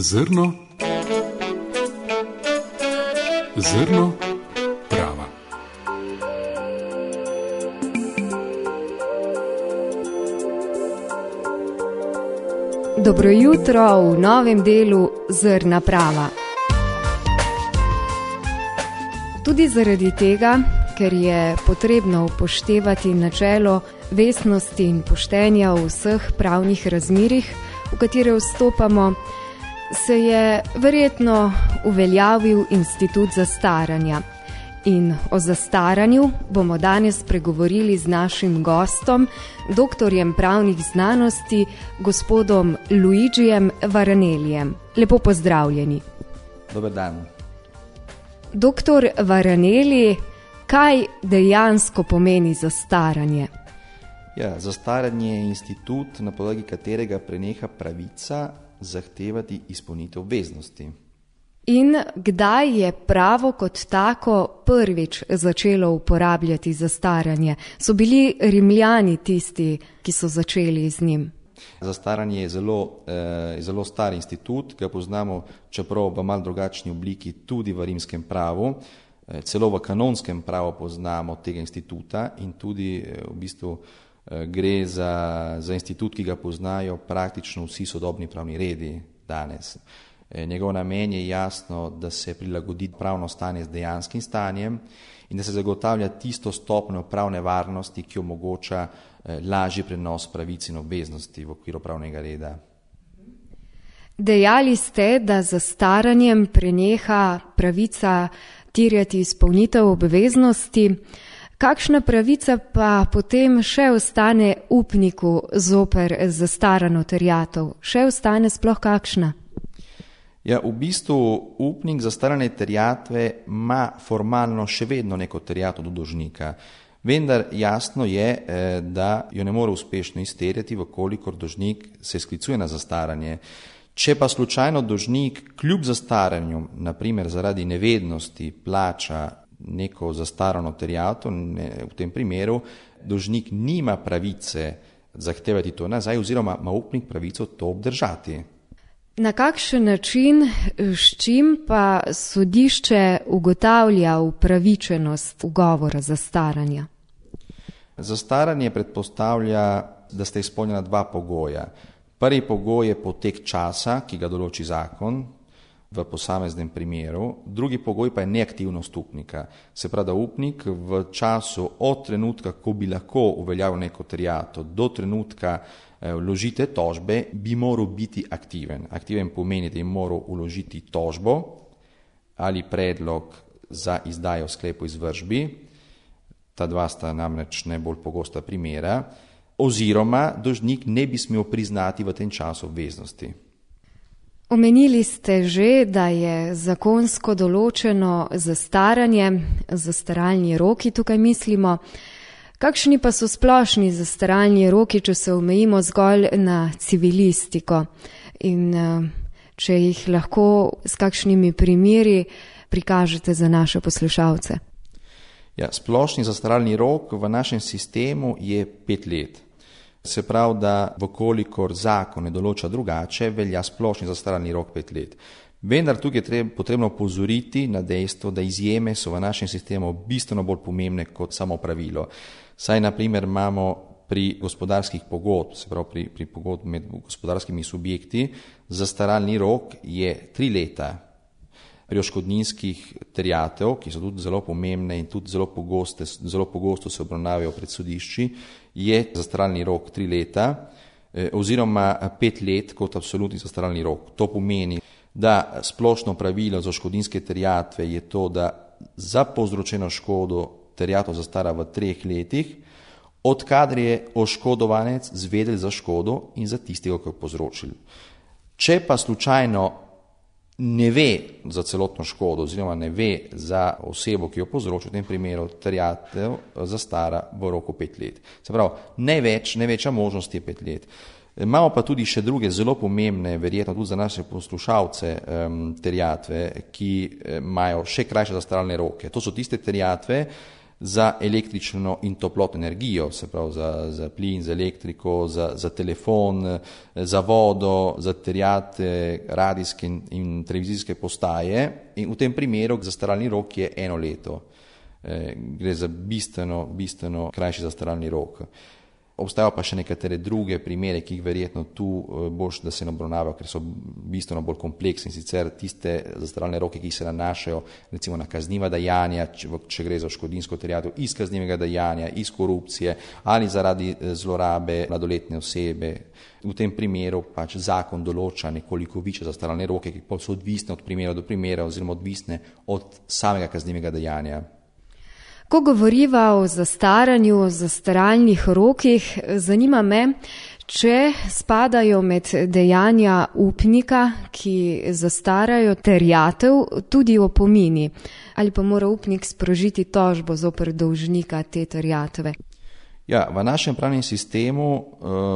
Zrno prava. Dobro jutro v novem delu Zrna prava. Tudi zaradi tega, ker je potrebno upoštevati načelo vestnosti in poštenja v vseh pravnih razmerjih, v katere vstopamo, se je verjetno uveljavil institut zastaranja. In o zastaranju bomo danes pregovorili z našim gostom, doktorjem pravnih znanosti, gospodom Luigijem Varanelijem. Lepo pozdravljeni. Dober dan. Doktor Varaneli, kaj dejansko pomeni zastaranje? Zastaranje je institut, na podlagi katerega preneha pravica zahtevati izpolnitev obveznosti. In kdaj je pravo kot tako prvič začelo uporabljati zastaranje? So bili Rimljani tisti, ki so začeli z njim? Zastaranje je zelo star institut, ga poznamo, čeprav v malo drugačni obliki, tudi v rimskem pravu. Celo v kanonskem pravu poznamo tega instituta in tudi v bistvu gre za institut, ki ga poznajo praktično vsi sodobni pravni redi danes. Njegov namen je jasno, da se prilagodi pravno stanje z dejanskim stanjem in da se zagotavlja tisto stopnjo pravne varnosti, ki omogoča lažji prenos pravic in obveznosti v okviru pravnega reda. Dejali ste, da z zastaranjem preneha pravica terjati izpolnitev obveznosti. Kakšna pravica pa potem še ostane upniku zoper zastarano terjatev? Še ostane sploh kakšna? V bistvu upnik zastarane terjatve ima formalno še vedno neko terjatev do dolžnika, vendar jasno je, da jo ne more uspešno izterjati, vkolikor dolžnik se sklicuje na zastaranje. Če pa slučajno dolžnik kljub zastaranju, naprimer zaradi nevednosti, plača neko zastarano terjatev, v tem primeru dolžnik nima pravice zahtevati to nazaj oziroma ima upnik pravico to obdržati. Na kakšen način, s čim pa sodišče ugotavlja upravičenost ugovora zastaranja? Zastaranje predpostavlja, da sta izpolnjena dva pogoja. Prvi pogoj je potek časa, ki ga določi zakon v posameznem primeru, drugi pogoj pa je neaktivnost upnika. Se pravi, da upnik v času od trenutka, ko bi lahko uveljavil neko terjatev, do trenutka vložite tožbe, bi moral biti aktiven. Aktiven pomeni, da je moral vložiti tožbo ali predlog za izdajo sklepa o izvršbi, ta dva sta namreč najbolj pogosta primera, oziroma dolžnik ne bi smel priznati v tem času obveznosti. Omenili ste že, da je zakonsko določeno zastaranje, zastaralni roki tukaj mislimo. Kakšni pa so splošni zastaralni roki, če se omejimo zgolj na civilistiko in če jih lahko s kakšnimi primeri prikažete za naše poslušalce? Splošni zastaralni rok v našem sistemu je 5 let. Se pravi, da vkolikor zakon ne določa drugače, velja splošni zastaralni rok 5 let. Vendar tukaj je potrebno opozoriti na dejstvo, da izjeme so v našem sistemu bistveno bolj pomembne kot samo pravilo. Saj naprimer imamo pri gospodarskih pogodb, se pravi pri pogodb med gospodarskimi subjekti, zastaralni rok je 3 leta. Pri odškodninskih terjatev, ki so tudi zelo pomembne in tudi zelo pogosto se obravnavajo pred sodišči, je zastaralni rok 3 leta oziroma 5 let kot absolutni zastaralni rok. To pomeni, da splošno pravilo za odškodninske terjatve je to, da za povzročeno škodo terjatev zastara v 3 letih, odkadar je oškodovanec zvedel za škodo in za tistega, ki jo povzročil. Če pa slučajno ne ve za celotno škodo oziroma ne ve za osebo, ki jo povzroča, v tem primeru terjatev zastara v roku 5 let. Se pravi, največja možnost je 5 let. Imamo pa tudi še druge zelo pomembne, verjetno tudi za naše poslušalce, terjatve, ki imajo še krajše zastaralne roke. To so tiste terjatve, za električno in toplotno energijo, se pravi za plin, za elektriko, za telefon, za vodo, za terjate, radijske in televizijske postaje. In v tem primeru zastaralni rok je 1 leto. Gre za bistveno krajši zastaralni rok. Obstajajo pa še nekatere druge primere, ki jih verjetno tu boš, da se ne obravnavajo, ker so bistveno bolj kompleksni, sicer tiste zastaralne roke, ki se nanašajo recimo na kazniva dejanja, če gre za škodinsko terjatev iz kaznivega dejanja, iz korupcije ali zaradi zlorabe mladoletne osebe. V tem primeru pač zakon določa nekoliko više zastaralne roke, ki pa so odvisne od primera do primera oziroma odvisne od samega kaznivega dejanja. Ko govoriva o zastaranju, o zastaralnih rokih, zanima me, če spadajo med dejanja upnika, ki zastarajo terjatev, tudi opomini, ali pa mora upnik sprožiti tožbo zoper dolžnika te terjatve. Ja, v našem pravnem sistemu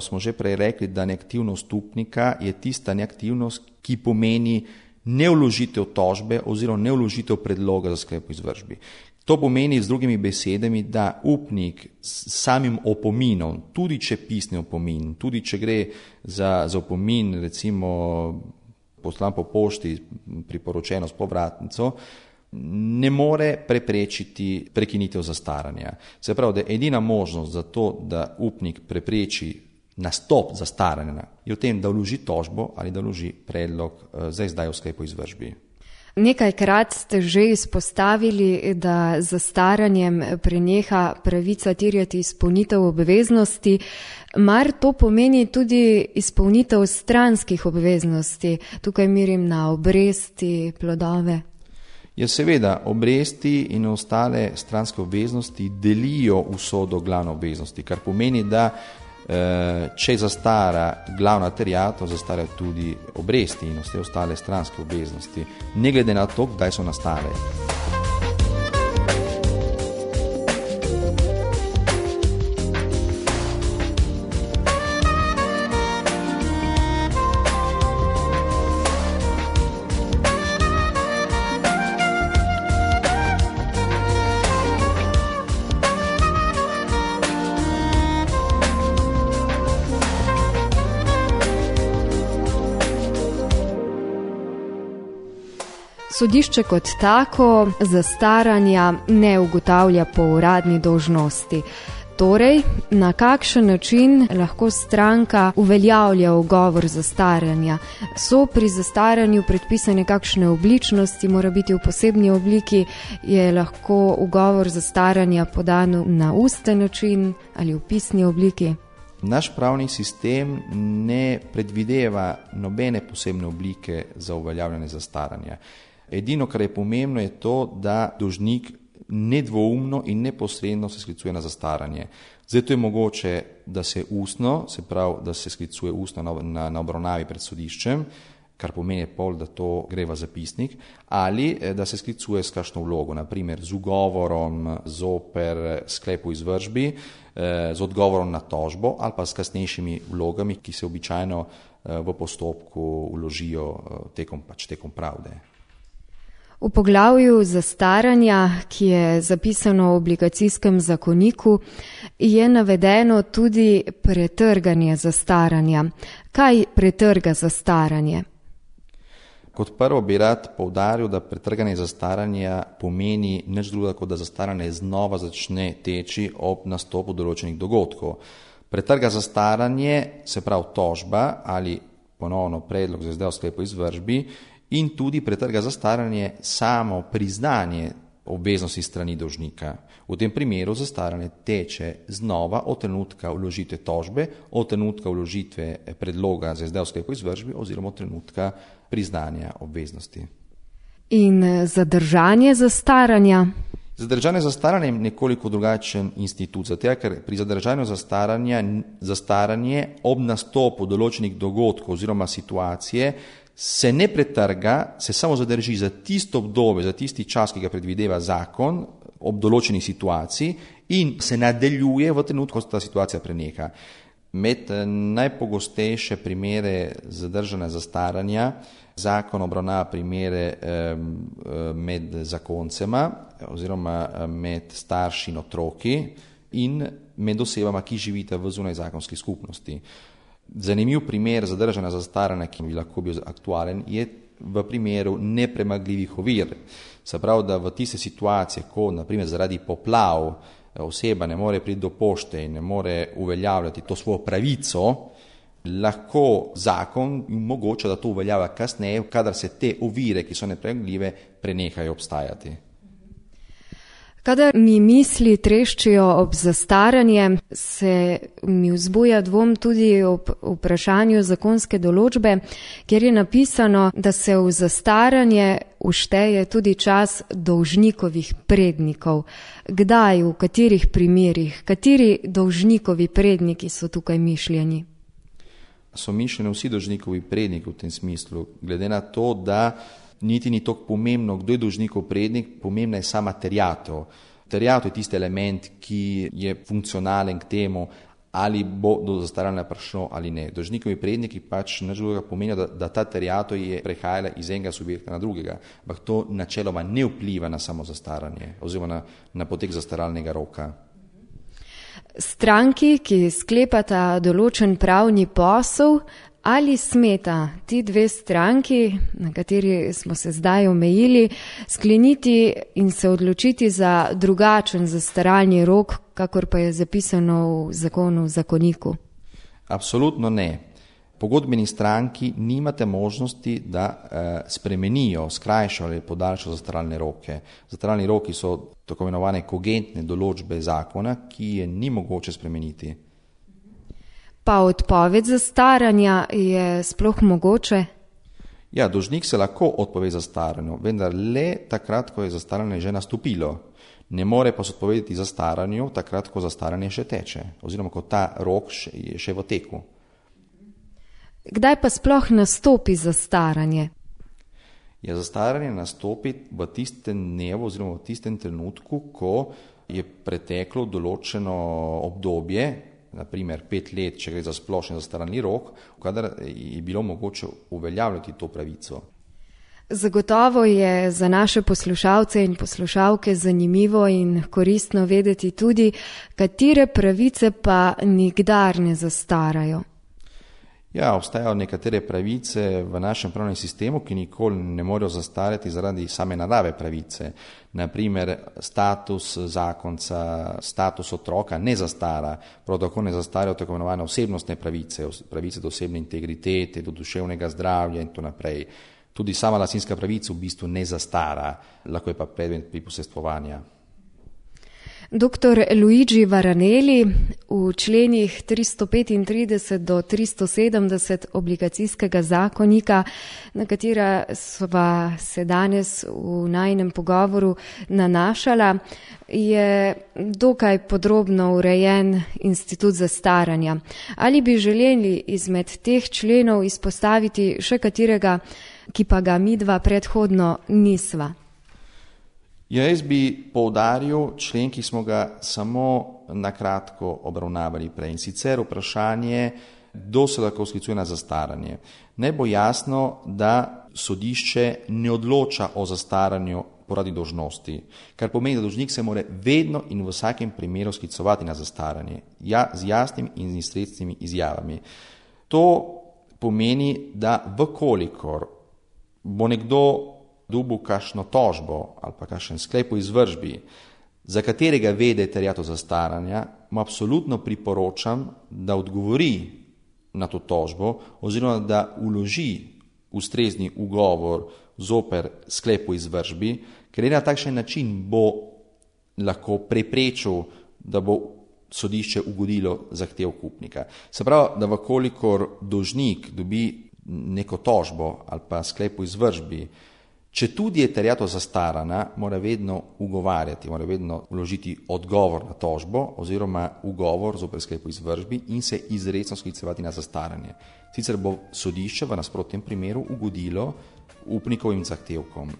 smo že prej rekli, da neaktivnost upnika je tista neaktivnost, ki pomeni nevložitev tožbe oziroma nevložitev predloga za sklep o izvršbi. To pomeni z drugimi besedami, da upnik s samim opominom, tudi če pisni opomin, tudi če gre za opomin, recimo poslan po pošti, priporočeno s povratnico, ne more preprečiti prekinitev zastaranja. Se pravi, da edina možnost za to, da upnik prepreči nastop zastaranja, je v tem, da vloži tožbo ali da vloži predlog za izdajo sklepa o izvršbi. Nekajkrat ste že izpostavili, da zastaranjem preneha pravica terjati izpolnitev obveznosti. Mar to pomeni tudi izpolnitev stranskih obveznosti? Tukaj mirim na obresti, plodove. Ja, seveda, obresti in ostale stranske obveznosti delijo usodo glavne obveznosti, kar pomeni, da če zastara glavna terjatev, zastarajo tudi obresti in vse ostale stranske obveznosti, ne glede na to, kdaj so nastale. Sodišče kot tako zastaranja ne ugotavlja po uradni dolžnosti. Torej, na kakšen način lahko stranka uveljavlja ugovor zastaranja? So pri zastaranju predpisane kakšne obličnosti, mora biti v posebni obliki, je lahko ugovor zastaranja podan na usten način ali v pisni obliki? Naš pravni sistem ne predvideva nobene posebne oblike za uveljavljanje zastaranja. Edino, kar je pomembno, je to, da dolžnik nedvoumno in neposredno se sklicuje na zastaranje. Zato je mogoče, da se ustno, se pravi, da se sklicuje ustno na obravnavi pred sodiščem, kar pomeni pol, da to gre v zapisnik, ali da se sklicuje s kakšno vlogo, naprimer z ugovorom zoper sklep o izvršbi, z odgovorom na tožbo ali pa s kasnejšimi vlogami, ki se običajno v postopku vložijo tekom pravde. V poglavju zastaranja, ki je zapisano v obligacijskem zakoniku, je navedeno tudi pretrganje zastaranja. Kaj pretrga zastaranje? Kot prvo bi rad poudaril, da pretrganje zastaranja pomeni nič drugega, kot da zastaranje znova začne teči ob nastopu določenih dogodkov. Pretrga zastaranje, se pravi tožba ali ponovno predlog za izdajo sklepa o izvršbi, in tudi pretrga zastaranje samo priznanje obveznosti strani dolžnika. V tem primeru zastaranje teče znova od trenutka vložitve tožbe, od trenutka vložitve predloga za izdajo sklepa o izvršbi oziroma od trenutka priznanja obveznosti. In zadržanje zastaranja? Zadržanje zastaranja je nekoliko drugačen institut, zato ker pri zadržanju zastaranje ob nastopu določenih dogodkov oziroma situacije se ne pretrga, se samo zadrži za tisto obdobje, za tisti čas, ki ga predvideva zakon ob določeni situaciji in se nadaljuje v trenutku, ko se ta situacija preneha. Med najpogostejše primere zadržanja zastaranja zakon obravnava primere med zakoncema oziroma med starši in otroki in med osebama, ki živita v zunajzakonski skupnosti. Zanimiv primer zadržanja zastaranja, ki bi lahko bil aktualen, je v primeru nepremagljivih ovir. Se pravi, da v tiste situacije, ko naprimer zaradi poplav oseba ne more priti do pošte in ne more uveljavljati to svojo pravico, lahko zakon omogoča, da to uveljavlja kasneje, kadar se te ovire, ki so nepremagljive, prenehajo obstajati. Kadar mi misli treščijo ob zastaranje, se mi vzbuja dvom tudi ob vprašanju zakonske določbe, kjer je napisano, da se v zastaranje všteje tudi čas dolžnikovih prednikov. Kdaj, v katerih primerih, kateri dolžnikovi predniki so tukaj mišljeni? So mišljeni vsi dolžnikovi predniki v tem smislu, glede na to, da niti ni toliko pomembno, kdo je dolžnikov prednik, pomembna je sama terjatev. Terjatev je tisti element, ki je funkcionalen k temu, ali bo do zastaranja prišlo ali ne. Dolžnikovi predniki pač nič drugega pomenijo, da ta terjatev je prehajala iz enega subjekta na drugega, ampak to načeloma ne vpliva na samo zastaranje oziroma na potek zastaralnega roka. Stranki, ki sklepata določen pravni posel, ali smeta ti dve stranki, na kateri smo se zdaj omejili, skleniti in se odločiti za drugačen zastaralni rok, kakor pa je zapisano v zakonu, v zakoniku? Absolutno ne. Pogodbeni stranki nimate možnosti, da spremenijo, skrajšajo ali podaljšajo zastaralne roke. Zastaralni roki so tako imenovane kogentne določbe zakona, ki je ni mogoče spremeniti. Pa odpoved zastaranja je sploh mogoče? Ja, dolžnik se lahko odpove zastaranju, vendar le takrat, ko je zastaranje že nastopilo. Ne more pa se odpovedati zastaranju takrat, ko zastaranje še teče, oziroma ko ta rok je še v teku. Kdaj pa sploh nastopi zastaranje? Ja, zastaranje nastopi v tistem dnevu oziroma v tistem trenutku, ko je preteklo določeno obdobje, naprimer 5 let, če gre za splošni zastaralni rok, kadar je bilo mogoče uveljavljati to pravico. Zagotovo je za naše poslušalce in poslušalke zanimivo in koristno vedeti tudi, katere pravice pa nikdar ne zastarajo. Ja, obstajajo nekatere pravice v našem pravnem sistemu, ki nikoli ne morejo zastarati zaradi same narave pravice. Naprimer, status zakonca, status otroka ne zastara, prav tako ne zastarajo tako imenovane osebnostne pravice, pravice do osebne integritete, do duševnega zdravja in to naprej. Tudi sama lastninska pravica v bistvu ne zastara, lahko je pa predmet priposestvovanja. Dr. Luigi Varanelli, v členih 335 do 370 obligacijskega zakonika, na katera sva se danes v najinem pogovoru nanašala, je dokaj podrobno urejen institut zastaranja. Ali bi želeli izmed teh členov izpostaviti še katerega, ki pa ga midva predhodno nisva? Ja, jaz bi poudaril člen, ki smo ga samo nakratko obravnavali prej, in sicer vprašanje, kdo se lahko sklicuje na zastaranje. Naj bo jasno, da sodišče ne odloča o zastaranju poradi dolžnosti, kar pomeni, da dolžnik se mora vedno in v vsakem primeru sklicovati na zastaranje, z jasnimi in izrecnimi izjavami. To pomeni, da vkolikor bo nekdo dobil kakšno tožbo ali pa kakšen sklep o izvršbi, za katerega ve, da je terjatev zastaranja, mu absolutno priporočam, da odgovori na to tožbo oziroma da vloži ustrezni ugovor zoper sklep o izvršbi, ker na takšen način bo lahko preprečil, da bo sodišče ugodilo zahtev kupnika. Se pravi, da vkolikor dolžnik dobi neko tožbo ali pa sklep o izvršbi, če tudi je terjatev zastarana, mora vedno ugovarjati, mora vedno vložiti odgovor na tožbo oziroma ugovor zoper sklep o izvršbi in se izrecno sklicevati na zastaranje. Sicer bo sodišče v nasprotnem primeru ugodilo upnikovim zahtevkom.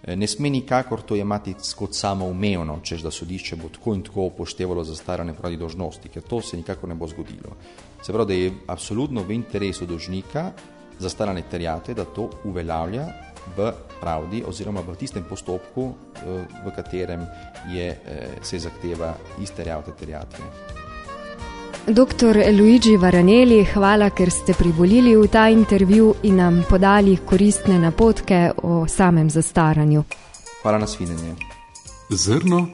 Ne sme nikakor to jemati kot samoumevno, češ da sodišče bo tako in tako upoštevalo zastaranje pravdi dolžnosti, ker to se nikakor ne bo zgodilo. Se pravi, da je absolutno v interesu dolžnika zastaranje terjatve, da to uveljavlja v pravdi oziroma v tistem postopku, v katerem se zahteva izterjavite terjatve. Dr. Luigi Varanelli, hvala, ker ste privolili v ta intervju in nam podali koristne napotke o samem zastaranju. Hvala, nasvidenje. Zrno